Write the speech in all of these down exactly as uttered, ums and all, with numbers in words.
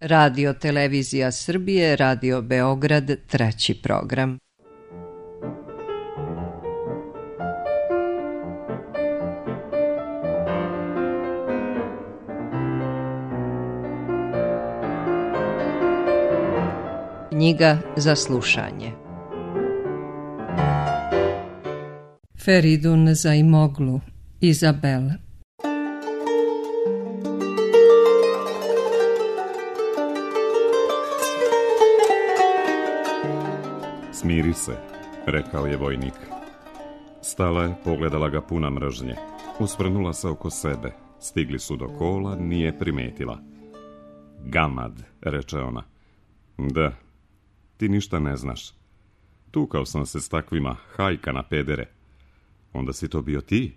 Radio Televizija Srbije, Radio Beograd, treći program. Knjiga za slušanje. Feridun Zaimoglu, Izabel. Smiri se, rekao je vojnik. Stala je, pogledala ga puna mržnje. Usvrnula se oko sebe. Stigli su do kola, nije primetila. Gamad, reče ona. Da, ti ništa ne znaš. Tukao sam se s takvima, hajka na pedere. Onda si to bio ti?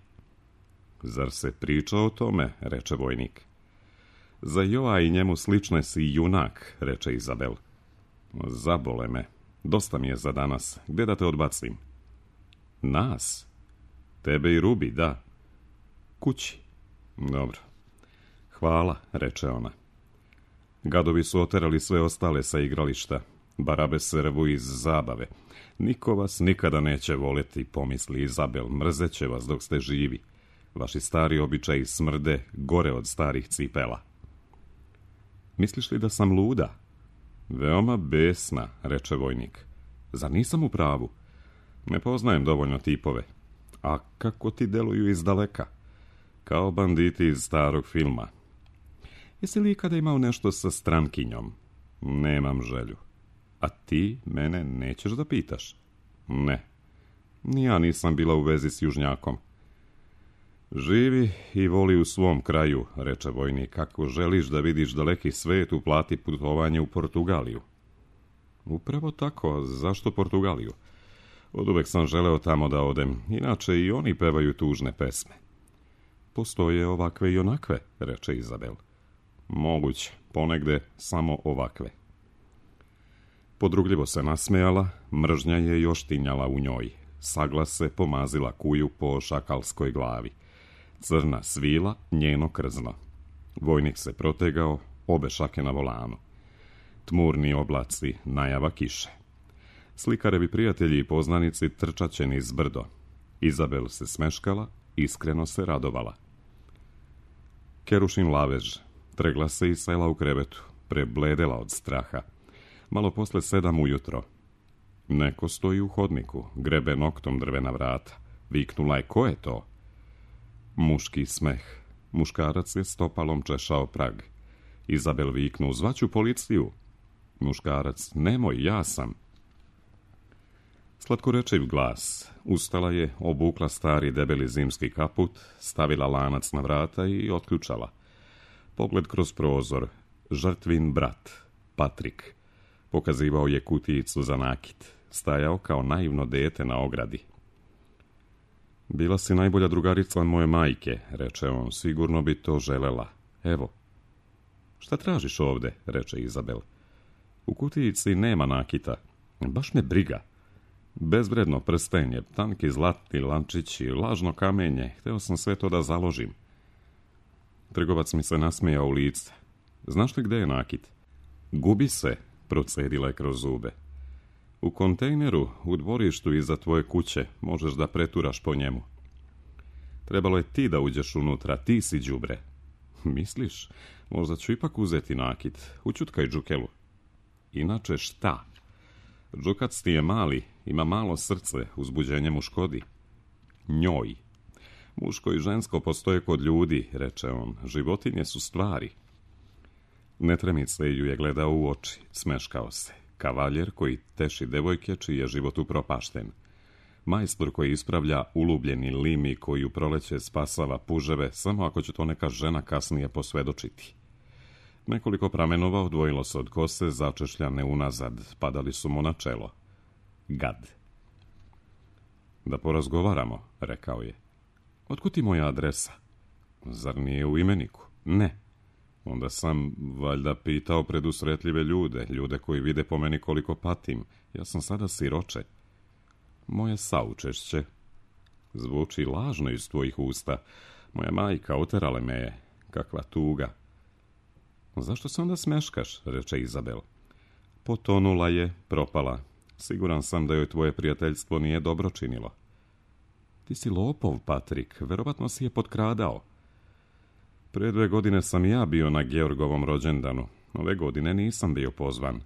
Zar se priča o tome, reče vojnik. Za Joa i njemu slične si junak, reče Izabel. Zabole me. Dosta mi je za danas. Gde da te odbacim? Nas? Tebe i Rubi, da. Kući. Dobro. Hvala, reče ona. Gadovi su oterali sve ostale sa igrališta. Barabe se rvu iz zabave. Niko vas nikada neće voleti, pomisli Izabel. Mrzeće vas dok ste živi. Vaši stari običaji smrde gore od starih cipela. Misliš li da sam luda? Veoma besna, reče vojnik. Zar nisam u pravu? Ne poznajem dovoljno tipove. A kako ti deluju izdaleka? Kao banditi iz starog filma. Jesi li ikada imao nešto sa strankinjom? Nemam želju. A ti mene nećeš da pitaš? Ne. Ni ja nisam bila u vezi s južnjakom. Živi i voli u svom kraju, reče vojnik. Ako želiš da vidiš daleki svet, uplati putovanje u Portugaliju. Upravo tako, zašto Portugaliju? Oduvek sam želeo tamo da odem, inače i oni pevaju tužne pesme. Postoje ovakve i onakve, reče Izabel. Moguće, ponegde samo ovakve. Podrugljivo se nasmejala, mržnja je još tinjala u njoj. Saglas se pomazila kuju po šakalskoj glavi. Crna svila, njeno krzno. Vojnik se protegao, obe šake na volanu. Tmurni oblaci, najava kiše. Slikarevi prijatelji i poznanici trčaće niz brdo. Izabel se smeškala, iskreno se radovala. Kerušin lavež, tregla se i sela u krevetu, prebledela od straha. Malo posle sedam ujutro. Neko stoji u hodniku, grebe noktom drvena vrata. Viknula je, ko je to? Muški smeh. Muškarac je stopalom češao prag. Izabel viknu, zvaću policiju. Muškarac, nemoj, ja sam. Slatkorečiv glas. Ustala je, obukla stari debeli zimski kaput, stavila lanac na vrata i otključala. Pogled kroz prozor. Žrtvin brat, Patrik. Pokazivao je kutijicu za nakit. Stajao kao naivno dete na ogradi. Bila si najbolja drugarica moje majke, reče on, sigurno bi to želela. Evo. Šta tražiš ovde, reče Izabel. U kutijici nema nakita. Baš me briga. Bezvredno prstenje, tanki zlatni lančići, lažno kamenje. Hteo sam sve to da založim. Trgovac mi se nasmejao u lice. Znaš li gde je nakit? Gubi se, procedila je kroz zube. U kontejneru, u dvorištu iza tvoje kuće, možeš da preturaš po njemu. Trebalo je ti da uđeš unutra, ti si đubre. Misliš, možda ću ipak uzeti nakit. Učutkaj džukelu. Inače šta? Džukac ti je mali, ima malo srce, uzbuđenje mu škodi. Njoj. Muško i žensko postoje kod ljudi, reče on. Životinje su stvari. Netremice ju je gledao u oči, smeškao se. Kavaljer koji teši devojke čiji je život upropašten. Majstor koji ispravlja ulubljeni limi koji u proleće spasava puževe, samo ako će to neka žena kasnije posvedočiti. Nekoliko pramenova odvojilo se od kose, začešljane unazad, padali su mu na čelo. Gad. Da porazgovaramo, rekao je. Otkud ti moja adresa? Zar nije u imeniku? Ne. Onda sam valjda pitao predusretljive ljude, ljude koji vide po meni koliko patim. Ja sam sada siroče. Moje saučešće. Zvuči lažno iz tvojih usta. Moja majka oterale me je. Kakva tuga. Zašto se onda smeškaš, reče Izabel. Potonula je, propala. Siguran sam da joj tvoje prijateljstvo nije dobro činilo. Ti si lopov, Patrik, verovatno si je potkradao. Pre dve godine sam ja bio na Georgovom rođendanu. Ove godine nisam bio pozvan.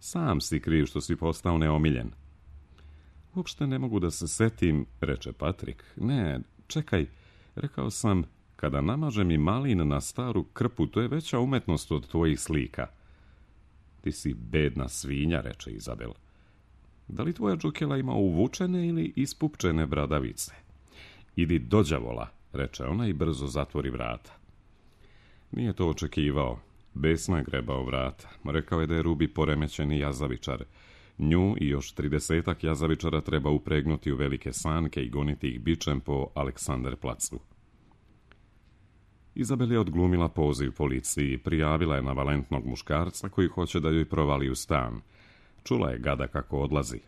Sam si kriv što si postao neomiljen. Uopšte ne mogu da se setim, reče Patrik. Ne, čekaj, rekao sam, kada namažem i malin na staru krpu, to je veća umetnost od tvojih slika. Ti si bedna svinja, reče Izabel. Da li tvoja džukela ima uvučene ili ispupčene bradavice? Idi do đavola, reče ona i brzo zatvori vrata. Nije to očekivao. Besno je grebao vrata. Rekao je da je Rubi poremećeni jazavičar. Nju i još tridesetak jazavičara treba upregnuti u velike sanke i goniti ih bičem po Aleksanderplacu. Izabel je odglumila poziv policiji i prijavila je navalentnog muškarca koji hoće da joj provali u stan. Čula je gada kako odlazi.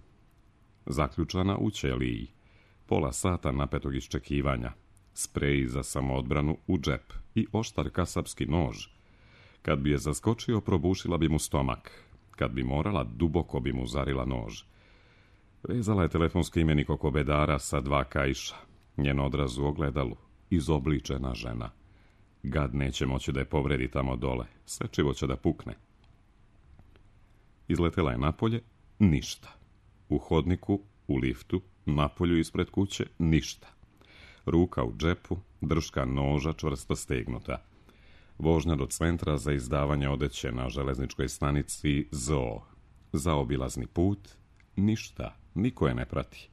Zaključana u ćeliji. Pola sata napetog iščekivanja. Sprej za samoodbranu u džep i oštar kasapski nož. Kad bi je zaskočio, probušila bi mu stomak. Kad bi morala, duboko bi mu zarila nož. Vezala je telefonski imenik oko bedara sa dva kaiša. Njen odraz u ogledalu. Izobličena žena. Gad neće moći da je povredi tamo dole. Sečivo će da pukne. Izletela je napolje. Ništa. U hodniku, u liftu, napolju ispred kuće, ništa. Ruka u džepu, drška noža čvrsto stegnuta. Vožnja do centra za izdavanje odeće na železničkoj stanici Zoo. Zaobilazni put, ništa, niko je ne prati.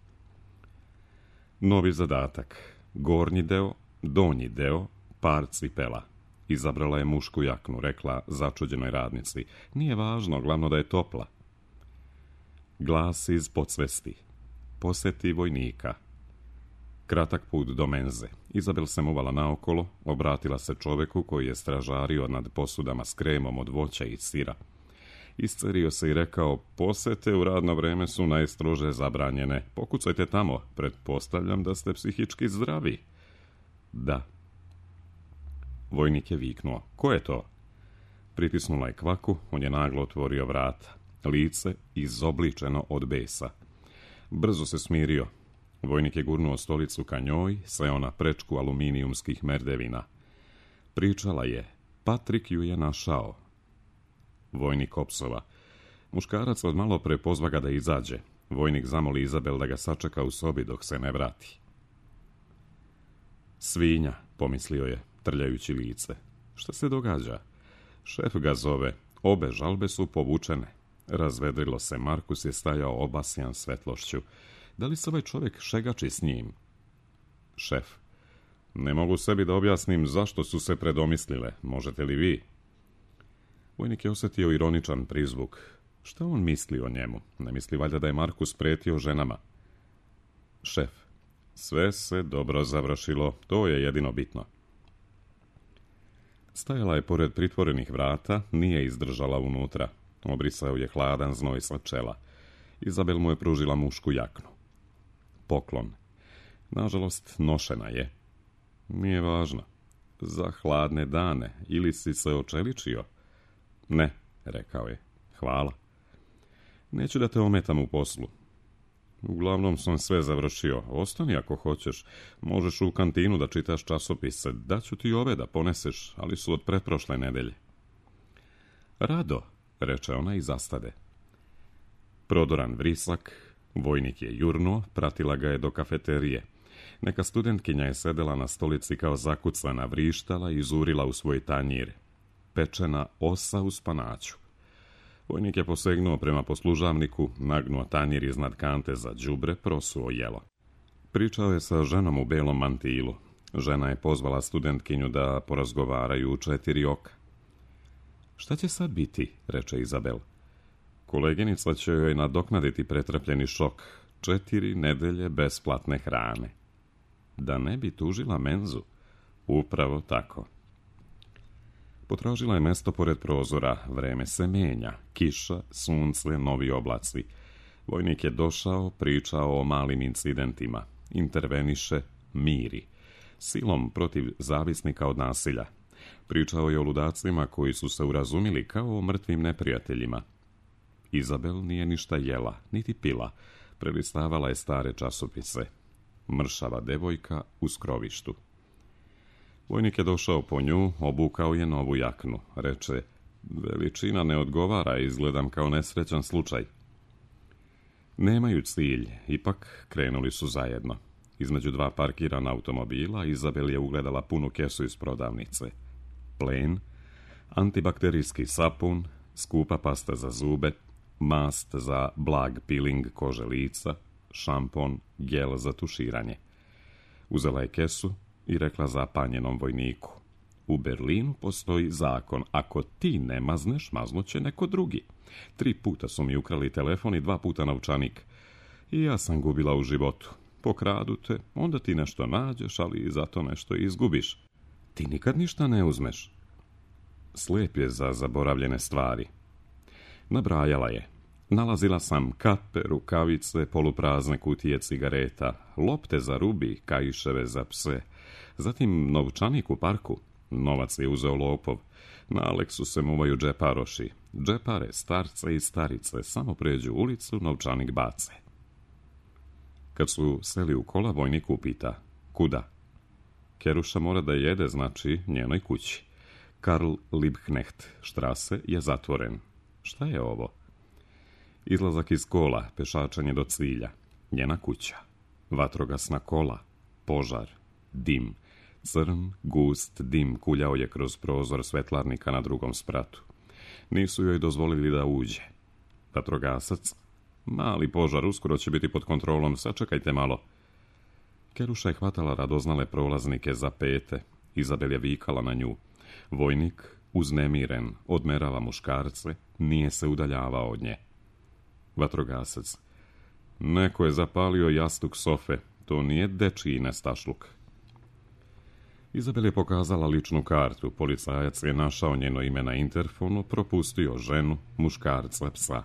Novi zadatak. Gornji deo, donji deo, par cipela. Izabrala je mušku jaknu, rekla začuđenoj radnici. Nije važno, glavno da je topla. Glas iz podsvesti. Poseti vojnika. Kratak put do menze. Izabel se muvala naokolo, obratila se čoveku koji je stražario nad posudama s kremom od voća i sira. Iscerio se i rekao, posete u radno vreme su najstrože zabranjene. Pokucajte tamo, pretpostavljam da ste psihički zdravi. Da. Vojnik je viknuo, ko je to? Pritisnula je kvaku, on je naglo otvorio vrata. Lice izobličeno od besa. Brzo se smirio. Vojnik je gurnuo stolicu ka njoj, seo na prečku aluminijumskih merdevina. Pričala je, Patrik ju je našao. Vojnik opsova. Muškarac od malo pre pozva ga da izađe. Vojnik zamoli Izabel da ga sačeka u sobi dok se ne vrati. Svinja, pomislio je, trljajući lice. Šta se događa? Šef ga zove. Obe žalbe su povučene. Razvedrilo se, Markus je stajao obasjan svetlošću. Da li se ovaj čovjek šegači s njim? Šef. Ne mogu sebi da objasnim zašto su se predomislile. Možete li vi? Vojnik je osjetio ironičan prizvuk. Šta on misli o njemu? Ne misli valjda da je Markus pretio ženama? Šef. Sve se dobro završilo. To je jedino bitno. Stajala je pored pritvorenih vrata, nije izdržala unutra. Obrisao je hladan znoj sa čela. Izabel mu je pružila mušku jaknu. Poklon. Nažalost, nošena je. Nije važno. Za hladne dane. Ili si se očeličio? Ne, rekao je. Hvala. Neću da te ometam u poslu. Uglavnom sam sve završio. Ostani ako hoćeš. Možeš u kantinu da čitaš časopise. Daću ti ove da poneseš, ali su od pretprošle nedelje. Rado, reče ona i zastade. Prodoran vrisak, vojnik je jurnuo, pratila ga je do kafeterije. Neka studentkinja je sedela na stolici kao zakucana, vrištala i zurila u svoj tanjir. Pečena osa u spanaću. Vojnik je posegnuo prema poslužavniku, nagnuo tanjir iznad kante za đubre, prosuo jelo. Pričao je sa ženom u belom mantilu. Žena je pozvala studentkinju da porazgovaraju u četiri oka. Šta će sad biti, reče Izabel. Koleginica će joj nadoknaditi pretrpljeni šok. Četiri nedelje besplatne hrane. Da ne bi tužila menzu. Upravo tako. Potražila je mesto pored prozora. Vreme se menja. Kiša, sunce, novi oblaci. Vojnik je došao, pričao o malim incidentima. Interveniše, miri. Silom protiv zavisnika od nasilja. Pričao je o ludacima koji su se urazumili kao o mrtvim neprijateljima. Izabel nije ništa jela, niti pila. Prelistavala je stare časopise. Mršava devojka u skrovištu. Vojnik je došao po nju, obukao je novu jaknu. Reče, veličina ne odgovara, izgledam kao nesrećan slučaj. Nemaju cilj, ipak krenuli su zajedno. Između dva parkirana automobila Izabel je ugledala punu kesu iz prodavnice. Plen, antibakterijski sapun, skupa pasta za zube, mast za blag peeling kože lica, šampon, gel za tuširanje. Uzela je kesu i rekla zapanjenom vojniku, u Berlinu postoji zakon, ako ti ne mazneš, maznuće neko drugi. Tri puta su mi ukrali telefon i dva puta novčanik. I ja sam gubila u životu. Pokradu te, onda ti nešto nađeš, ali zato nešto izgubiš. Ti nikad ništa ne uzmeš. Slijep je za zaboravljene stvari. Nabrajala je. Nalazila sam kape, rukavice, poluprazne kutije cigareta, lopte za rubi, kaiševe za pse. Zatim novčanik u parku. Novac je uzeo lopov. Na Aleksu se muvaju džeparoši. Džepare, starce i starice, samo pređu ulicu, novčanik bace. Kad su seli u kola, vojnik upita, kuda? Keruša mora da jede, znači njenoj kući. Karl Liebknecht štrase je zatvoren. Šta je ovo? Izlazak iz kola, pešačanje do cilja. Njena kuća. Vatrogasna kola. Požar. Dim. Crn, gust dim kuljao je kroz prozor svetlarnika na drugom spratu. Nisu joj dozvolili da uđe. Vatrogasac. Mali požar, uskoro će biti pod kontrolom, sačekajte malo. Keruša je hvatala radoznale prolaznike za pete. Izabel je vikala na nju. Vojnik, uznemiren, odmerava muškarce, nije se udaljavao od nje. Vatrogasac. Neko je zapalio jastuk sofe, to nije dečiji nestašluk. Izabel je pokazala ličnu kartu, policajac je našao njeno ime na interfonu, propustio ženu, muškarca, psa.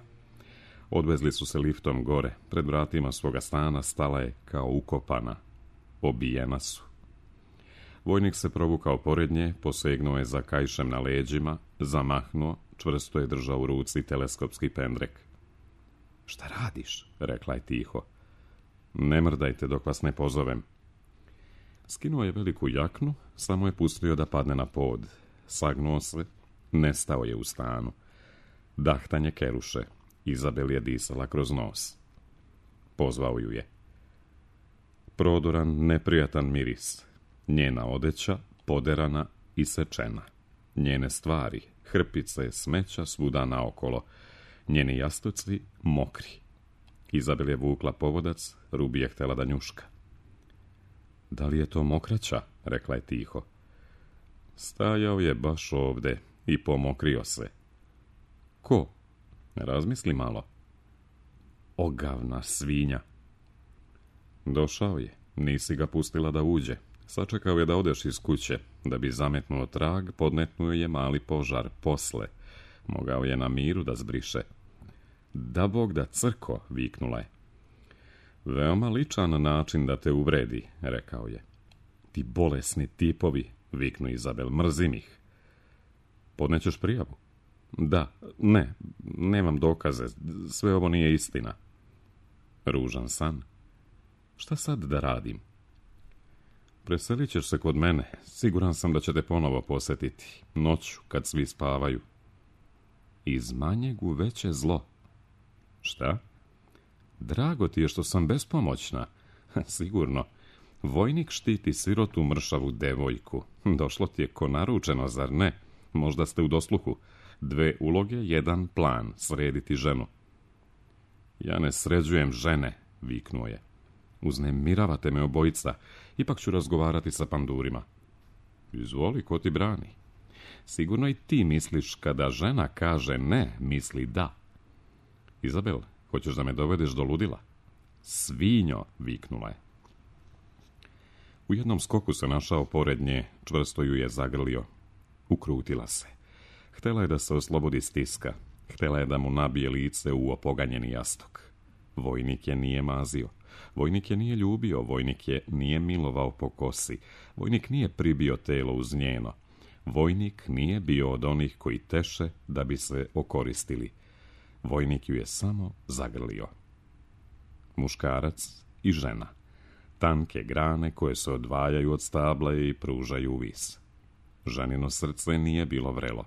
Odvezli su se liftom gore, pred vratima svoga stana stala je kao ukopana. Obijena su. Vojnik se provukao pored nje, posegnuo je za kaišem na leđima, zamahnuo, čvrsto je držao u ruci teleskopski pendrek. Šta radiš? Rekla je tiho. Ne mrdajte dok vas ne pozovem. Skinuo je veliku jaknu, samo je pustio da padne na pod. Sagnuo se, nestao je u stanu. Dahtanje Keruše. Izabel je disala kroz nos. Pozvao ju je. Prodoran, neprijatan miris. Njena odeća, poderana i sečena. Njene stvari, hrpice, smeća svuda naokolo. Njeni jastuci, mokri. Izabel je vukla povodac, Rubi je htjela da njuška. Da li je to mokraća? Rekla je tiho. Stajao je baš ovde i pomokrio se. Ko? Razmisli malo. Ogavna svinja. Došao je, nisi ga pustila da uđe. Sačekao je da odeš iz kuće, da bi zametnuo trag, podmetnuo je mali požar posle. Mogao je na miru da zbriše. Da Bog da crko, viknula je. Veoma ličan način da te uvredi, rekao je. Ti bolesni tipovi, viknu Izabel, mrzim ih. Podnećeš prijavu? Da, ne, nemam dokaze, sve ovo nije istina. Ružan san. Šta sad da radim? Preselit ćeš se kod mene, siguran sam da će te ponovo posjetiti, noću, kad svi spavaju. Iz manjeg u veće zlo. Šta? Drago ti je što sam bespomoćna. Sigurno. Vojnik štiti sirotu mršavu devojku. Došlo ti je ko naručeno, zar ne? Možda ste u dosluhu. Dve uloge, jedan plan, srediti ženu. Ja ne sređujem žene, viknuo je. Uznemiravate me obojica, ipak ću razgovarati sa pandurima. Izvoli, ko ti brani. Sigurno i ti misliš kada žena kaže ne, misli da. Izabel, hoćeš da me dovedeš do ludila? Svinjo, viknula je. U jednom skoku se našao pored nje, čvrsto ju je zagrlio. Ukrutila se. Htela je da se oslobodi stiska. Htela je da mu nabije lice u opoganjeni jastuk. Vojnik je nije mazio. Vojnik je nije ljubio. Vojnik je nije milovao po kosi. Vojnik nije pribio telo uz njeno. Vojnik nije bio od onih koji teše da bi se okoristili. Vojnik ju je samo zagrlio. Muškarac i žena. Tanke grane koje se odvajaju od stabla i pružaju vis. Ženino srce nije bilo vrelo.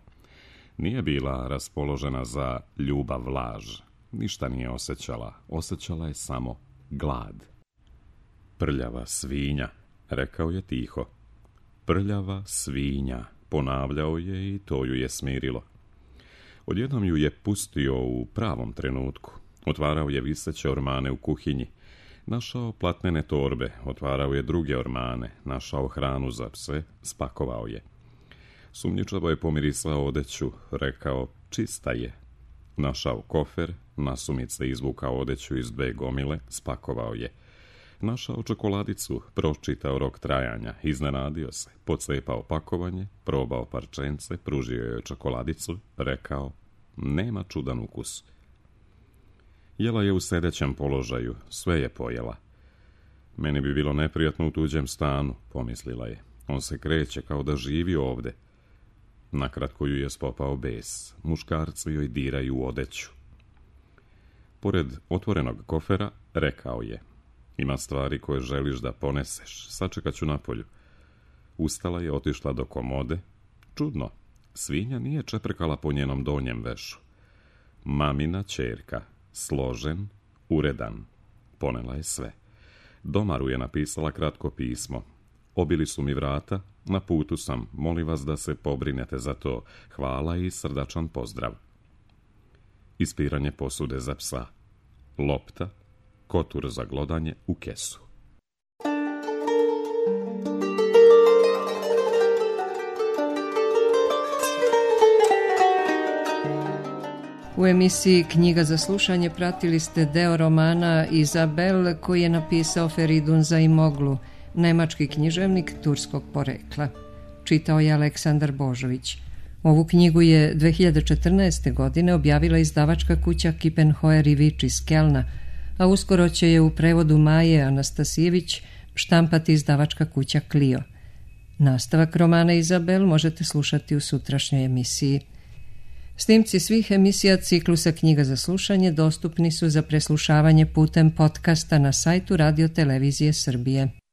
Nije bila raspoložena za ljubav laž. Ništa nije osjećala. Osjećala je samo glad. Prljava svinja, rekao je tiho. Prljava svinja, ponavljao je i to ju je smirilo. Odjednom ju je pustio u pravom trenutku. Otvarao je viseće ormane u kuhinji. Našao platnene torbe, otvarao je druge ormane, našao hranu za pse, spakovao je. Sumnjičavo je pomirisao odeću, rekao, čista je. Našao kofer, nasumice izvukao odeću iz dve gomile, spakovao je. Našao čokoladicu, pročitao rok trajanja, iznenadio se, pocepao pakovanje, probao parčence, pružio joj čokoladicu, rekao, nema čudan ukus. Jela je u sedećem položaju, sve je pojela. Meni bi bilo neprijatno u tuđem stanu, pomislila je. On se kreće kao da živi ovde. Nakratko ju je spopao bes. Muškarci joj diraju u odeću. Pored otvorenog kofera rekao je, ima stvari koje želiš da poneseš, sačekat ću napolju. Ustala je, otišla do komode. Čudno, svinja nije čeprkala po njenom donjem vešu. Mamina ćerka, složen, uredan. Ponela je sve. Domaru je napisala kratko pismo. Obili su mi vrata, na putu sam, molim vas da se pobrinete za to. Hvala i srdačan pozdrav. Ispiranje posude za psa. Lopta, kotur za glodanje u kesu. U emisiji Knjiga za slušanje pratili ste deo romana Izabel koji je napisao Feridun Zaimoglu, nemački književnik turskog porekla. Čitao je Aleksandar Božović. Ovu knjigu je dve hiljade četrnaeste. godine objavila izdavačka kuća Kippenhoer i Vič iz Kelna, a uskoro će je u prevodu Maje Anastasijević štampati izdavačka kuća Clio. Nastavak romana Izabel možete slušati u sutrašnjoj emisiji. Snimci svih emisija ciklusa Knjiga za slušanje dostupni su za preslušavanje putem podcasta na sajtu Radio Televizije Srbije.